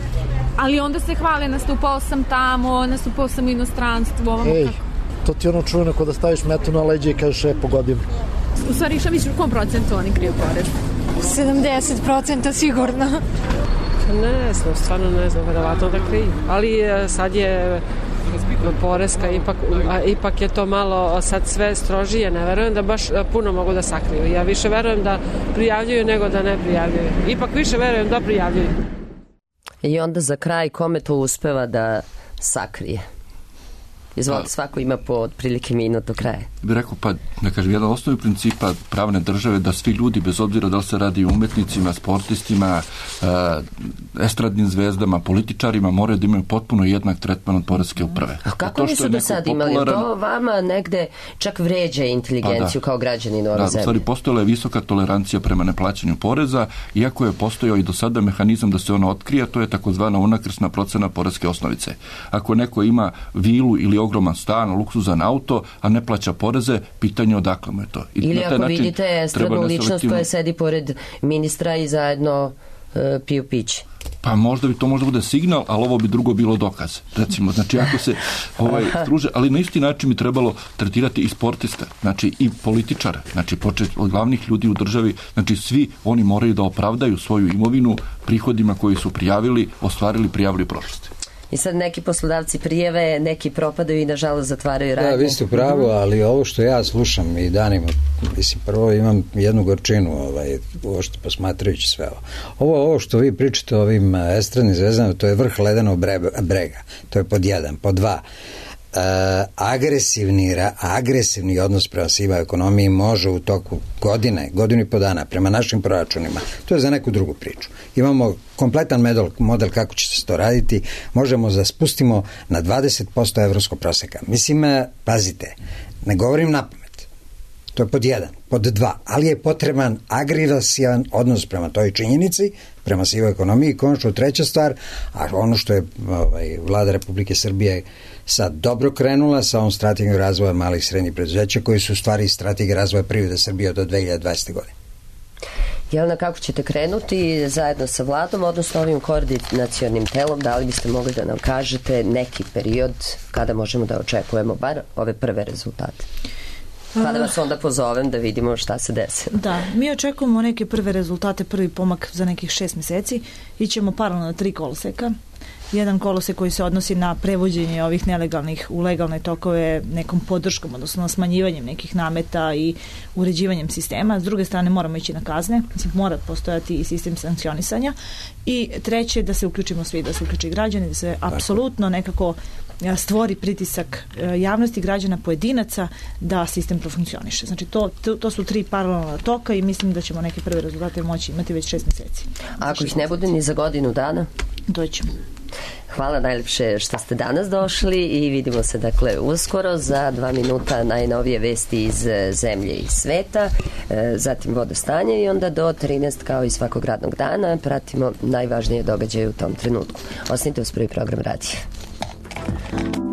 Speaker 4: Ali onda se hvale, nastupao sam tamo, nastupao sam u inostranstvu, ovamo kako?
Speaker 21: To ti ono čujeno kod da staviš metu na leđe i kažeš pogodim.
Speaker 4: U stvari, šta misliš u kom procentu oni kriju porez?
Speaker 22: 70% sigurno.
Speaker 23: Ne znam, stvarno ne znam, verovatno da kriju. Ali sad je poreska, ipak je to malo sad sve strožije, ne verujem da baš puno mogu da sakriju. Ja više verujem da prijavljuju nego da ne prijavljuju. Ipak više verujem da prijavljuju.
Speaker 2: I onda za kraj kome to uspeva da sakrije? Izvolite, svako ima po otprilike minut do kraja.
Speaker 6: Bih rekao, pa da kažem, jedan osnovi principa pravne države da svi ljudi, bez obzira da li se radi o umetnicima, sportistima, estradnim zvezdama, političarima, moraju da imaju potpuno jednak tretman od poreske uprave.
Speaker 2: A kako nisu do sad imali? To vama negde čak vređa inteligenciju kao građanin ove zemlje.
Speaker 6: U stvari, postojala je visoka tolerancija prema neplaćanju poreza, iako je postojao i do sada mehanizam da se ona otkrije, to je takozvana unakrsna procena poreske osnovice. Ako neko ima vilu ili ogroman stan, luksuzan auto, a ne plaća poreze, pitanje odakle mu je to.
Speaker 2: Ili ako vidite estradnu ličnost koja sedi pored ministra i zajedno piju piće.
Speaker 6: Pa možda bi to možda bude signal, ali ovo bi drugo bilo dokaz. Recimo, znači ako se druže, ali na isti način bi trebalo tretirati i sportista, znači i političara, znači počet od glavnih ljudi u državi, znači svi oni moraju da opravdaju svoju imovinu prihodima koji su prijavili, ostvarili, prijavili u prošlosti.
Speaker 2: I sad neki poslodavci prijave, neki propadaju i nažalost zatvaraju radnje.
Speaker 7: Da, vi ste u pravu, ali ovo što ja slušam i danima, mislim, prvo imam jednu gorčinu, uopšte posmatrajući sve ovo. Ovo što vi pričate o ovim estradnim zvezdama, to je vrh ledenog brega. To je pod 1. Pod 2. Agresivni odnos prema sivoj ekonomiji može u toku godinu i po dana prema našim proračunima, to je za neku drugu priču. Imamo kompletan model kako će se to raditi, možemo da spustimo na 20% evropskog proseka. Mislim, pazite, ne govorim napamet, to je pod 1. Pod 2, ali je potreban agresivan odnos prema toj činjenici, prema sivoj ekonomiji. Konačno treća stvar, a ono što je vlada Republike Srbije sad dobro krenula sa ovom strategijom razvoja malih i srednjih preduzeća, koji su u stvari strategije razvoja privrede Srbije do 2020. godine.
Speaker 2: Jelena, kako ćete krenuti zajedno sa vladom, odnosno ovim koordinacionim telom? Da li biste mogli da nam kažete neki period kada možemo da očekujemo bar ove prve rezultate? Pa da vas onda pozovem da vidimo šta se desi.
Speaker 8: Da, mi očekujemo neke prve rezultate, prvi pomak za nekih 6 meseci. Ićemo paralelno na 3 koloseka. Jedan kolosek koji se odnosi na prevođenje ovih nelegalnih u legalne tokove nekom podrškom, odnosno smanjivanjem nekih nameta i uređivanjem sistema. S druge strane moramo ići na kazne, mislim, mora postojati i sistem sankcionisanja. I treće, da se uključimo svi, da se uključi građani, da se apsolutno nekako stvori pritisak javnosti, građana, pojedinaca da sistem profunkcioniše. Znači to su 3 paralelna toka i mislim da ćemo neke prve rezultate moći imati već 6 meseci.
Speaker 2: A ako ih ne bude ni za godinu dana?
Speaker 8: Doćemo.
Speaker 2: Hvala najlepše što ste danas došli i vidimo se dakle uskoro. Za 2 minuta najnovije vesti iz zemlje i sveta, zatim vodostanje i onda do 13 kao i svakog radnog dana pratimo najvažnije događaje u tom trenutku. Ostanite uz prvi program radija.
Speaker 24: Thank you.